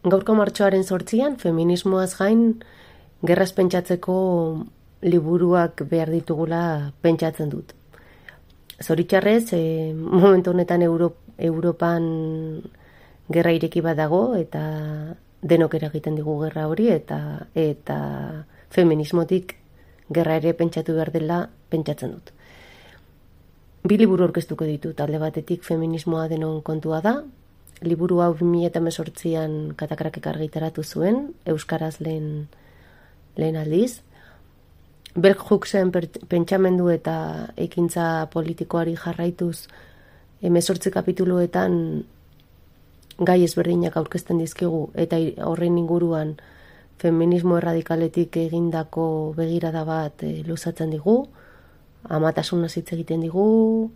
Gaurko martxoaren 8an, feminismoaz gain, gerraz pentsatzeko liburuak behar ditugula pentsatzen dut. Zoritxarrez, momentu honetan Europan gerra ireki bat dago, eta denok eragiten digu gerra hori, eta feminismotik gerra ere pentsatu behar dela pentsatzen dut. Bi liburu aurkeztuko ditut, alde batetik feminismoa denon kontua da. Liburu hau 2018an Katakrakek argitaratu zuen, euskaraz lehen aldiz. Bell Hooksen pentsamendu eta ekintza politikoari jarraituz 18 kapituluetan gai ezberdinak aurkezten dizkigu, eta horren inguruan feminismo erradikaletik egindako begirada bat luzatzen digu, amatasunaz hitz egiten digu,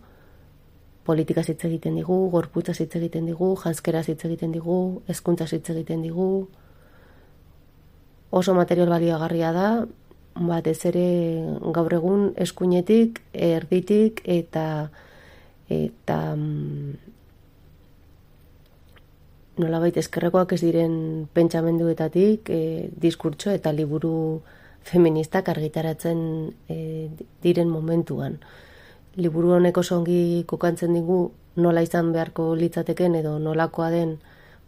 politikaz hitz egiten digu, gorputzaz hitz egiten digu, janzkeraz hitz egiten digu, hezkuntzaz hitz egiten digu. Oso material baliagarria da, batez ere gaur egun eskuinetik, erditik eta nolabait eskerrekoak ez diren pentsamenduetatik diskurtso eta liburu feministak argitaratzen diren momentuan. Liburu honek oso ongi kokantzen digu nola izan beharko litzateken edo nolakoa den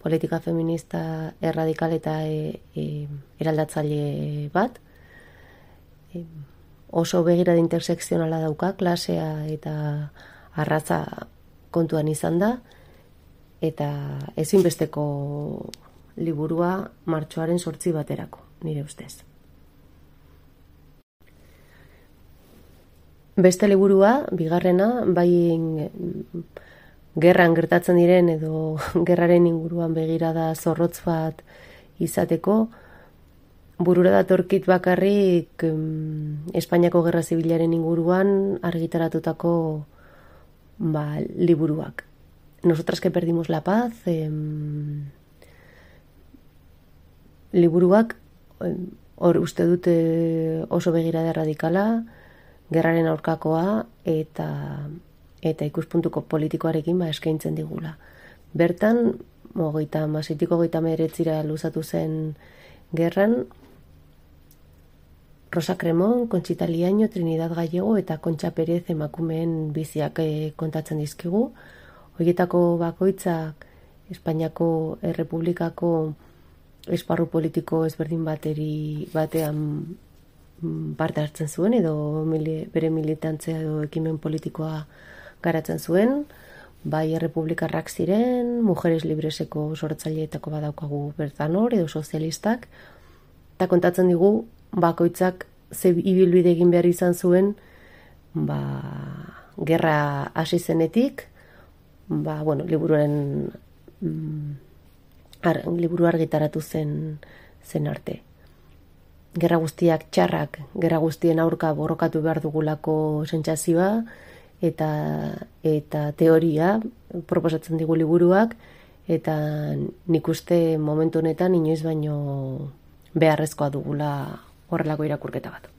politika feminista erradikal eta eraldatzaile bat. Oso begirada intersekzionala dauka, klasea eta arraza kontuan izan da, eta ezinbesteko liburua martxoaren 8 baterako, nire ustez. Beste liburua, bigarrena, bai gerran gertatzen diren edo gerraren inguruan begirada zorrotz bat izateko, burura datorkit bakarrik Espainiako Gerra Zibilaren inguruan argitaratutako liburuak. Nosotras que perdimos la paz, liburuak uste dute oso begirada radikala, gerraren aurkakoa eta ikuspuntuko politikoarekin eskaintzen digula. Bertan, 36-39 luzatu zen gerran, Rosa Cremón, Conchita Liaño, Trinidad Gallego eta Kontxa Perez emakumeen biziak kontatzen dizkigu. Horietako bakoitzak Espainiako Errepublikako esparru politiko ezberdin batean parte hartzen zuen, edo bere militantzia edo ekimen politikoa garatzen zuen, bai errepublikarrak ziren, Mujeres Libreseko sortzaileetako badaukagu bertan hor, edo sozialistak, eta kontatzen digu bakoitzak ze ibilbide egin behar izan zuen gerra hasi zenetik, liburu argitaratu zen arte. Gerra guztiak txarrak, gerra guztien aurka borrokatu behar dugulako sentsazioa eta teoria proposatzen digu liburuak, eta nik uste momentu honetan inoiz baino beharrezkoa dugula horrelako irakurketa bat.